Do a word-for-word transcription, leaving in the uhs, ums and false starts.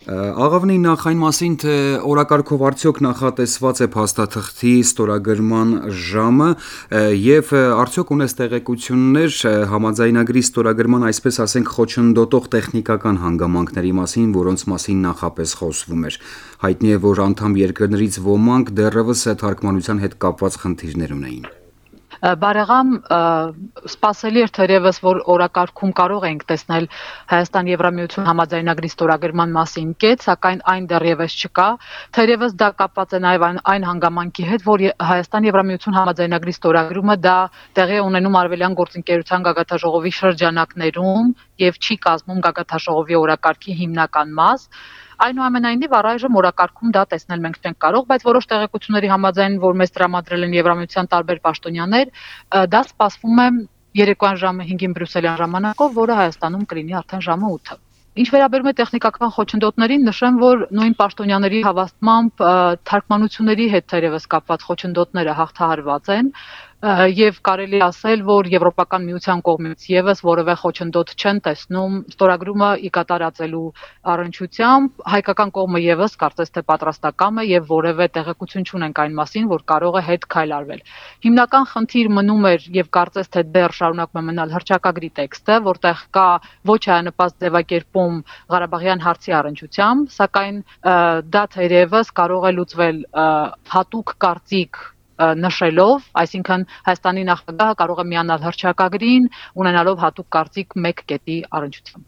Աղավնի նախ այն մասին, թե օրակարգով արդյոք նախատեսված է փաստաթղթի ստորագրման ժամը եւ արդյոք ունես տեղեկություններ համաձայնագրի ստորագրման, այսպես ասենք, խոչընդոտող տեխնիկական հանգամանքների մասին, որոնց մասին նախապես խոսվում էր։ Հայտնի է, որ անդամ երկրներից ոմանք դեռևս թարգմանության հետ կապված խնդիրներ ունեին։ Բարեղամ, սպասելի էր թերևս, որ օրակարգում կարող ենք տեսնել Հայաստան-Եվրամիություն համաձայնագրի ստորագրման մասին կետ, սակայն այն դեռևս չկա։ Թերևս դա կապված է նաև այն, այն հանգամանքի հետ, որ Հայաստան-Եվրամիություն համաձայնագրի ստորագրումը դա տեղի է ունենում Արևելյան գործընկերության գագաթնաժողովի շրջանակներում եւ չի կազմում գագաթնաժողովի օրակարգի հիմնական մաս։ Այնուամենայնիվ առայժմ օրակարգում դա տեսնել մենք չենք կարող, բայց որոշ տեղեկությունների համաձայն, որ մեզ տրամադրել են Եվրամիության տարբեր պաշտոնյաներ, դա սպասվում է երեկոյան ժամը հինգին բրյուսելյան ժամանակով, որը Հայաստանում կլինի արդեն ժամը ութը։ Ինչ վերաբերում է տեխնիկական խոչընդոտներին, նշեմ, որ նույն պաշտոնյաների հավաստմամբ թարգմանությունների հետ թերևս կապված խոչընդոտները հաղթահարված են եւ կարելի ասել, որ Եվրոպական միության կողմից եւս որևէ խոչընդոտ չեն տեսնում ստորագրումը ի կատարածելու առնչությամբ, հայկական կողմը եւս կարծես թե պատրաստակամ է եւ որևէ տեղեկություն չունենք այն մասին, որ կարող է հետ քայլ արվել։ Հիմնական խնդիր մնում էր եւ կարծես թե դեռ շարունակում է մնալ հռչակագրի տեքստը, որտեղ կա ոչ հայանպաստ ձևակերպում Ղարաբաղյան հարցի առնչությամբ, սակայն դա թերևս կարող է լուծվել հատուկ կարծիք նշելով, այսինքն Հայաստանի նախագահը կարող է միանալ հռչակագրին, ունենալով հատուկ կարծիք մեկ կետի առնչությամբ։